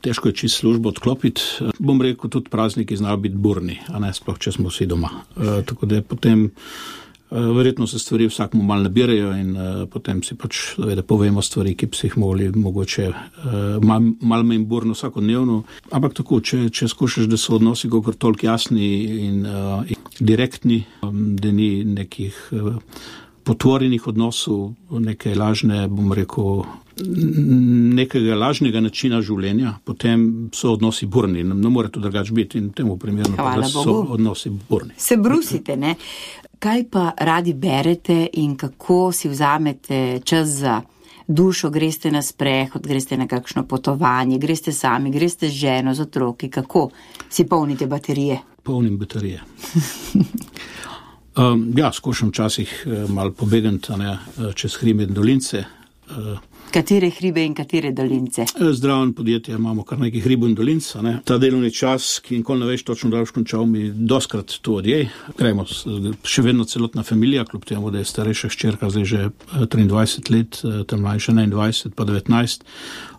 težko je čisto službo odklopiti. Bom rekel, tudi prazniki znajo biti burni, a ne sploh, če smo vsi doma. Uh, tako da potem uh, verjetno se stvari vsakmu malo nabirajo in uh, potem si pač da povemo stvari, ki bi si jih mogli mogoče uh, malo mal manj burno vsakodnevno. Ampak tako, če, če skušaš, da so odnosi kakor toliko jasni in, uh, in direktni, um, da ni nekih uh, potvorenih odnosov, neke lažne, bom rekel, nekega lažnega načina življenja, potem so odnosi burni. Ne, ne more to drugače biti in temu primerno, da so odnosi burni. Se brusite, ne? Kaj pa radi berete in kako si vzamete čas za dušo? Greste na sprehod, greste na kakšno potovanje, greste sami, greste z ženo, z otroki? Kako si polnite baterije? Polnim baterije. Um, ja, skušam včasih uh, malo pobegati ne, čez hribe in dolince. Uh, Katere hribe in katere dolince? Zdraven podjetje, imamo kar nekaj hribov in dolinc. Ne. Ta delovni čas, ki nikoli ne veš točno, da boš končal, mi doskrat to odjej. Gremo še vedno celotna familija, kljub temu, da je starejša hčerka zdaj že triindvajset let, tam mlajša enaindvajset pa devetnajst.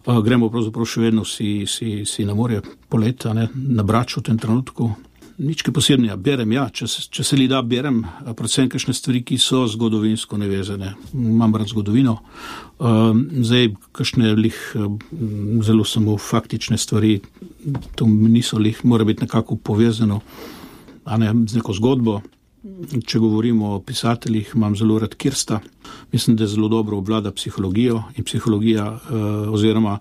Uh, gremo pravzaprav še vedno si, si, si na morje poleta, ne, na Brač v tem trenutku. Nič kaj posebnega, berem, ja, če se, če se li da berem, predvsem kakšne stvari, ki so zgodovinsko nevezane. Imam rad zgodovino. Um, zdaj, kakšne lih zelo samo faktične stvari, to niso lih, mora biti nekako povezano, a ne z neko zgodbo. Če govorimo o pisateljih, imam zelo rad Kirsta. Mislim, da zelo dobro obvlada psihologijo in psihologija uh, oziroma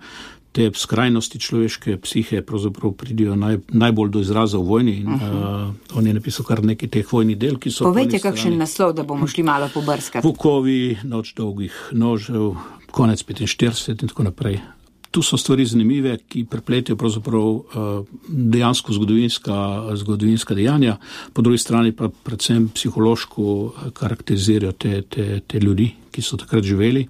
te skrajnosti človeške psihe pravzaprav pridijo naj, najbolj do izraza v vojni. In, uh, on je napisal kar nekaj teh vojnih del, ki so... Povejte kakšen naslov, da bomo šli malo pobrskati. Vukovi, Noč dolgih nožev, Konec petinštirideset in tako naprej. Tu so stvari zanimive, ki prepletijo pravzaprav uh, dejansko zgodovinska, zgodovinska dejanja, po drugi strani pa predvsem psihološko karakterizirajo te, te, te ljudi, ki so takrat živeli.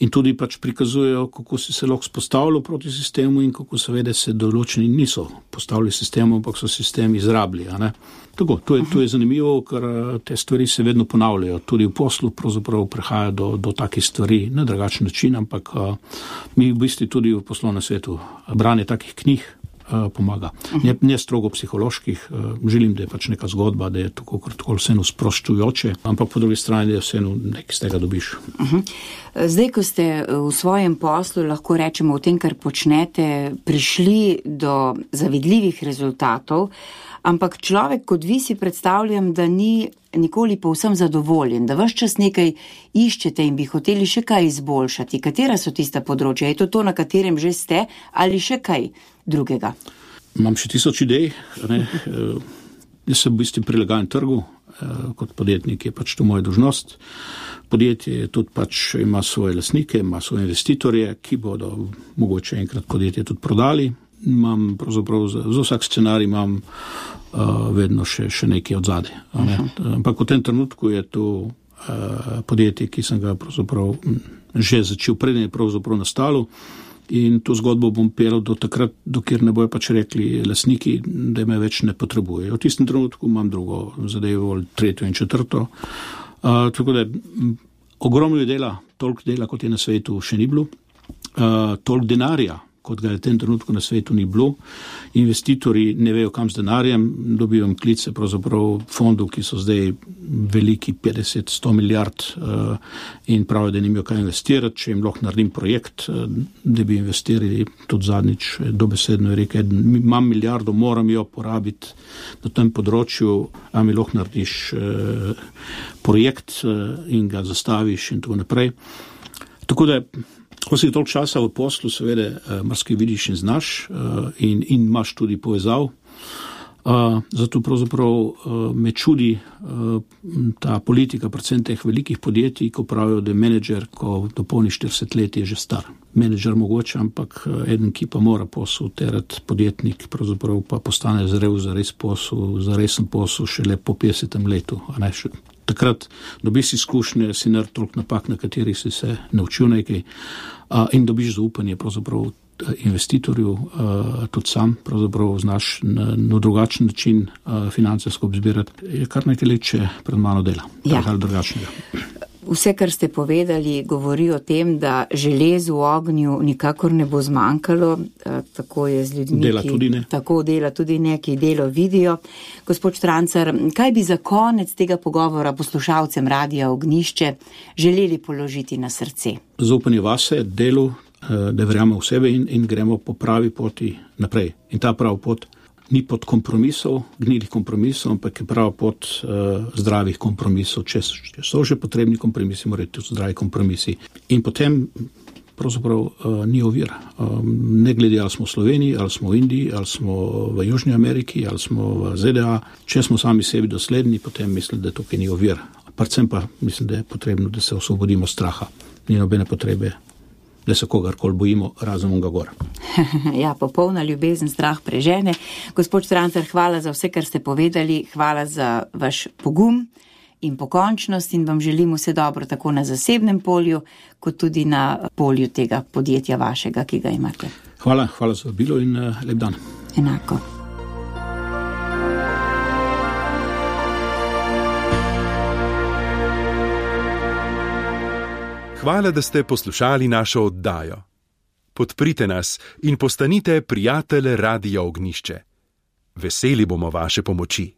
In tudi pač prikazujejo, kako si se lahko spostavilo proti sistemu in kako seveda se določeni niso postavili sistemu, ampak so sistem izrabili. A ne? Tako, to je, to je zanimivo, ker te stvari se vedno ponavljajo. Tudi v poslu pravzaprav prihaja do, do takih stvari, na drugačen način, ampak a, mi v bistvu tudi v poslovnem svetu branje takih knjig a, pomaga. Ne, ne strogo psiholoških, a, želim, da je pač neka zgodba, da je tako tako vseeno sproščujoče, ampak po drugi strani, da je vseeno nekaj z tega dobiš. Uh-huh. Zdaj, ko ste v svojem poslu, lahko rečemo v tem, kar počnete, prišli do zavidljivih rezultatov, ampak človek, kot vi si predstavljam, da ni nikoli povsem zadovoljen, da ves čas nekaj iščete in bi hoteli še kaj izboljšati. Katera so tista področja? Je to to, na katerem že ste, ali še kaj drugega? Imam še tisoč idej. Ne? Jaz se v bistvu prilagajam trgu, kot podjetnik je pač to moja dolžnost. Podjetje tudi pač ima svoje lastnike, ima svoje investitorje, ki bodo mogoče enkrat podjetje tudi prodali. Imam pravzaprav za, za vsak scenarij imam uh, vedno še, še nekaj od zadaj. Ne? Ampak v tem trenutku je to uh, podjetje, ki sem ga pravzaprav že začel, preden je pravzaprav nastalo. In to zgodbo bom pelal do takrat, dokjer ne bojo pač rekli lastniki, da me več ne potrebujejo. V tistem trenutku imam drugo zadevo, tretjo in četrto. Uh, tako da ogromno je dela, toliko dela, kot je na svetu, še ni bilo. Uh, toliko denarja, kot ga je v tem trenutku na svetu ni bilo. Investitorji ne vejo, kam z denarjem, dobivam klice pravzaprav fondov, ki so zdaj veliki petdeset do sto milijard uh, in pravijo, da nimajo kaj investirati, če jim lahko naredim projekt, uh, da bi investirali tudi zadnjič dobesedno je rekel, imam milijardo, moram jo porabiti na tem področju, a mi lahko narediš uh, projekt uh, in ga zastaviš in tako naprej. Tako da ko si toliko časa v poslu, seveda, marsikaj vidiš in znaš in, in imaš tudi povezav. Zato pravzaprav me čudi ta politika, predvsem teh velikih podjetij, ko pravijo, da je menedžer, ko dopolni štirideset let, je že star. Menedžer mogoče, ampak eden, ki pa mora posel terati, podjetnik, pravzaprav pa postane zrel za res posel, za resen posel šele po petdesetem letu, a ne še. Takrat dobiš izkušnje, si naredil toliko napak, na katerih si se naučil nekaj a, in dobiš zaupanje pravzaprav investitorju, a, tudi sam pravzaprav znaš na, na drugačen način a, financijsko obzbirati. Je kar nekaj let, če pred mano dela. Ja. Tak ali drugačnega. Vse, kar ste povedali, govori o tem, da železu v ognju nikakor ne bo zmanjkalo, tako je z ljudmi, dela tudi ne. Tako dela tudi ne, ki delo vidijo. Gospod Štrancar, kaj bi za konec tega pogovora poslušalcem Radia Ognjišče želeli položiti na srce? Zaupanje vase, delu, da verjamemo v sebe in, in gremo po pravi poti naprej. In ta prav pot ni pot kompromisov, gnilih kompromisov, ampak je prava pot uh, zdravih kompromisov. Če so že potrebni kompromisi, morajo tudi zdravi kompromisi. In potem pravzaprav uh, ni ovir. Um, ne glede, ali smo v Sloveniji, ali smo v Indiji, ali smo v Južni Ameriki, ali smo v Z D A. Če smo sami sebi dosledni, potem mislim, da tukaj ni ovir. Predvsem pa mislim, da je potrebno, da se osvobodimo straha. Ni nobene potrebe, da se kogarkoli bojimo, razen onega gor. Ja, popolna ljubezen strah prežene. Gospod Štrancar, hvala za vse, kar ste povedali, hvala za vaš pogum in pokončnost in vam želim vse dobro tako na zasebnem polju, kot tudi na polju tega podjetja vašega, ki ga imate. Hvala, hvala za bilo in uh, lep dan. Enako. Hvala, da ste poslušali našo oddajo. Podprite nas in postanite prijatelj Radia Ognjišče. Veseli bomo vaše pomoči.